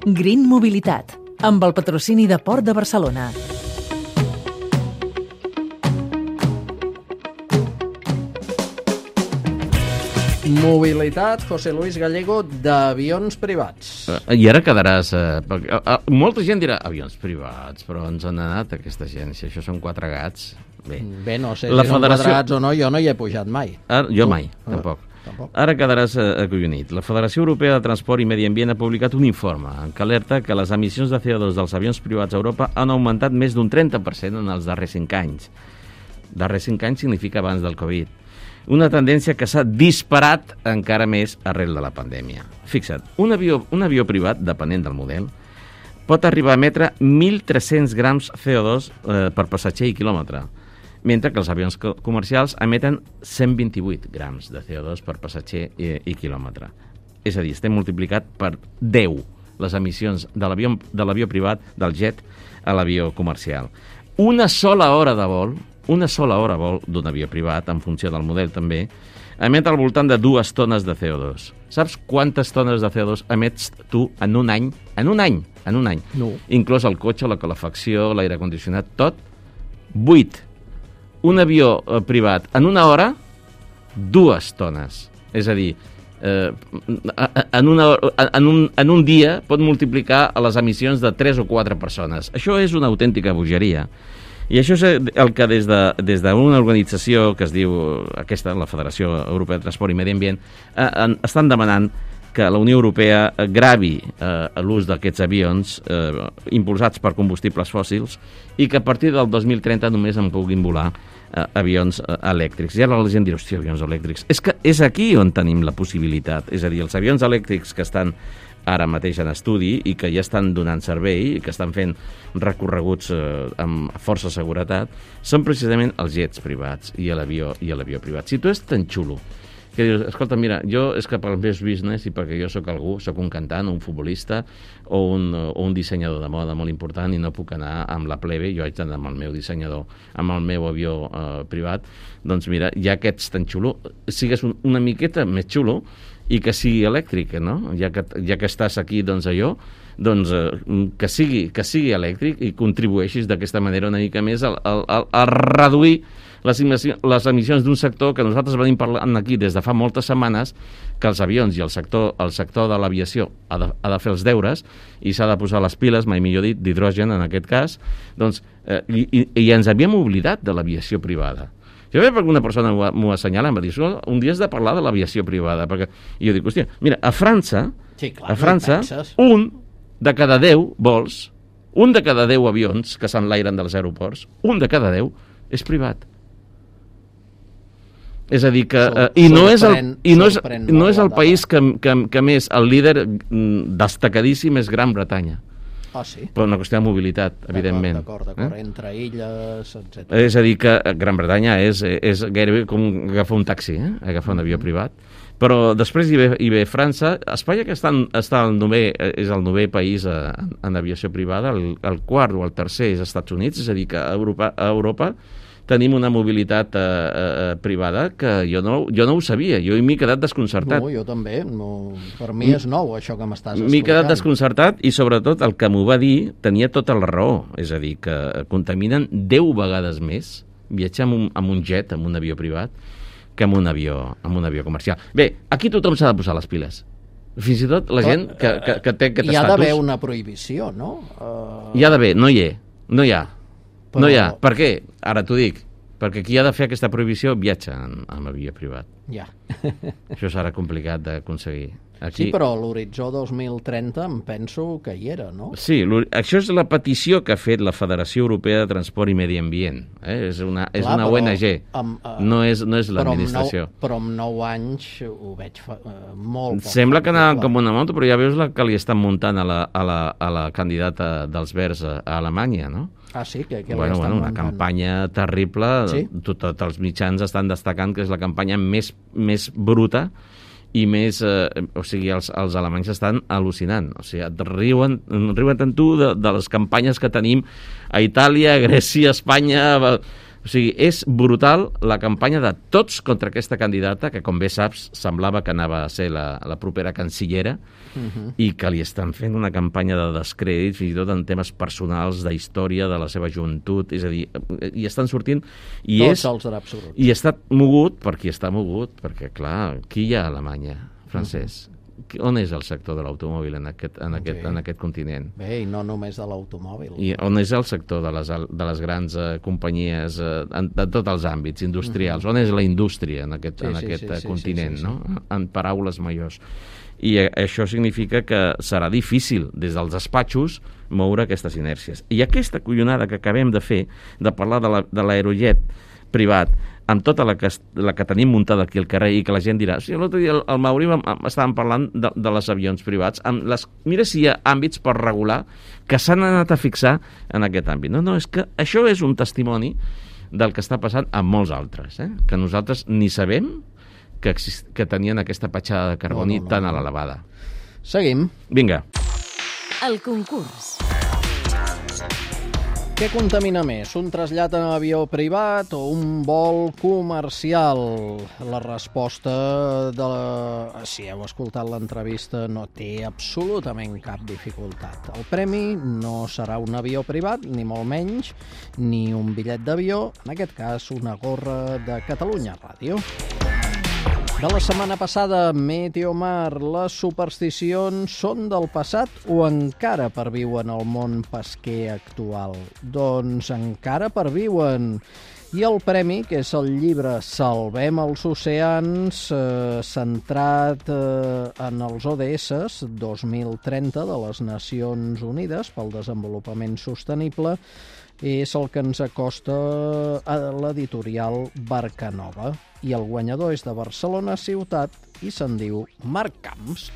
Green Mobilitat, amb el patrocini de Port de Barcelona. Mobilitat, José Luis Gallego, d'avions privats. I ara quedaràs... molta gent dirà, avions privats, però ens han anat aquesta gent, si això són 4 gats. Bé, no sé si són quadrats o no, jo no hi he pujat mai. Jo mai, tampoc. Ara quedaràs acollonit. La Federació Europea de Transport i Medi Ambient ha publicat un informe que alerta que les emissions de CO2 dels avions privats a Europa han augmentat més d'un 30% en els darrers 5 anys. Darrers 5 anys significa abans del Covid. Una tendència que s'ha disparat encara més arrel de la pandèmia. Fixa't, un avió privat, depenent del model, pot arribar a emetre 1.300 grams CO2 per passatger i quilòmetre, mentre que els avions comercials emeten 128 grams de CO2 per passatger i quilòmetre. És a dir, estem multiplicat per 10 les emissions de l'avió privat, del jet, a l'avió comercial. Una sola hora de vol d'un avió privat, en funció del model també, emet al voltant de 2 tones de CO2. Saps quantes tones de CO2 emets tu en un any? En un any. No. Inclòs el cotxe, la calefacció, l'aire condicionat, tot. 8. Un avió privat, en una hora, 2 tones. És a dir, en un dia pot multiplicar les emissions de 3 o 4 persones. Això és una autèntica bogeria. I això és el que des d'una organització que es diu aquesta, la Federació Europea de Transport i Medi Ambient, estan demanant que la Unió Europea gravi l'ús d'aquests avions impulsats per combustibles fòssils i que a partir del 2030 només en puguin volar avions elèctrics. I ara la gent dirà, hòstia, avions elèctrics. És que és aquí on tenim la possibilitat. És a dir, els avions elèctrics que estan ara mateix en estudi i que ja estan donant servei i que estan fent recorreguts amb força seguretat, són precisament els jets privats i l'avió privat. Si tu és tan xulo que dius, escolta, mira, jo és que pel meu business i perquè jo sóc algú, sóc un cantant, un futbolista o un dissenyador de moda molt important i no puc anar amb la plebe, jo haig d'anar amb el meu dissenyador, amb el meu avió privat, doncs mira, ja que ets tan xulo, sigues una miqueta més xulo i que sigui elèctric, no? Ja que estàs aquí, doncs allò, doncs que sigui elèctric i contribueixis d'aquesta manera una mica més a reduir les emissions d'un sector que nosaltres venim parlant aquí des de fa moltes setmanes, que els avions i el sector de l'aviació ha de fer els deures i s'ha de posar les piles, mai millor dit, d'hidrogen en aquest cas, doncs, i ens havíem oblidat de l'aviació privada. Jo veig perquè una persona m'ho assenyala, em va dir, un dia has de parlar de l'aviació privada, i jo dic, hòstia, mira, a França, un de cada 10 vols, un de cada 10 avions que s'enlairen dels aeroports, un de cada 10 és privat. És a dir que... I no és el país que més, el líder destacadíssim és Gran Bretanya. Ah, sí? Per una qüestió de mobilitat, evidentment. D'acord, entre illes, etc. És a dir, que Gran Bretanya és gairebé com agafar un taxi, agafar un avió privat. Però després hi ve França. Espanya, que és el 9è país en aviació privada, el 4 o el 3è és Estats Units, és a dir, que a Europa tenim una mobilitat privada que jo no ho sabia, jo m'he quedat desconcertat. No, jo també, per mi és nou això que m'estàs explicant. M'he quedat desconcertat i sobretot el que m'ho va dir tenia tota la raó, és a dir, que contaminen 10 vegades més viatjar amb un jet, amb un avió privat, que amb un avió comercial. Bé, aquí tothom s'ha de posar les piles. Fins i tot la gent que té aquest estatus. Hi ha d'haver una prohibició, no? Hi ha d'haver, no hi ha. No hi ha. Per què? Ara t'ho dic. Perquè qui ha de fer aquesta prohibició viatja amb avió privat. Ja. Això serà complicat d'aconseguir. Sí, però l'horitzó 2030 em penso que hi era, no? Sí, això és la petició que ha fet la Federació Europea de Transport i Medi Ambient. És una ONG, no és l'administració. Però amb 9 anys ho veig molt poc. Sembla que anaven com una moto, però ja veus la que li estan muntant a la candidata dels Verds a Alemanya, no? Ah, sí? Una campanya terrible. Sí? Tots els mitjans estan destacant que és la campanya més bruta i més... o sigui, els alemanys estan al·lucinant. O sigui, riuen tant tu de les campanyes que tenim a Itàlia, a Grècia, a Espanya... O O sigui, és brutal la campanya de tots contra aquesta candidata, que, com bé saps, semblava que anava a ser la propera cancillera, i que li estan fent una campanya de descrèdit, fins i tot en temes personals, de història, de la seva joventut, és a dir, i estan sortint... Tots els draps bruts. I està mogut, perquè, clar, qui hi ha a Alemanya, Francesc? On és el sector de l'automòbil en aquest continent? Bé, i no només de l'automòbil. I on és el sector de les grans companyies de tots els àmbits industrials? On és la indústria en aquest continent, no? En paraules majors. I això significa que serà difícil des dels despatxos moure aquestes inèrcies. I aquesta collonada que acabem de fer, de parlar de l'aerojet privat, amb tota la que tenim muntada aquí al carrer, i que la gent dirà, sí, l'altre dia al Mauri estàvem parlant de les avions privats, mira si hi ha àmbits per regular que s'han anat a fixar en aquest àmbit. No, és que això és un testimoni del que està passant amb molts altres, que nosaltres ni sabem que tenien aquesta petjada de carboni tan a l'elevada. Seguim. Vinga. El concurs. Què contamina més, un trasllat en avió privat o un vol comercial? La resposta si heu escoltat l'entrevista, no té absolutament cap dificultat. El premi no serà un avió privat, ni molt menys, ni un bitllet d'avió, en aquest cas una gorra de Catalunya Ràdio. De la setmana passada, Meteomar, les supersticions són del passat o encara perviuen al món pesquer actual? Doncs encara perviuen. I el premi, que és el llibre Salvem els oceans, centrat en els ODS 2030 de les Nacions Unides pel Desenvolupament Sostenible, és el que ens acosta a l'editorial Barcanova. I el guanyador és de Barcelona ciutat i se'n diu Marc Camps.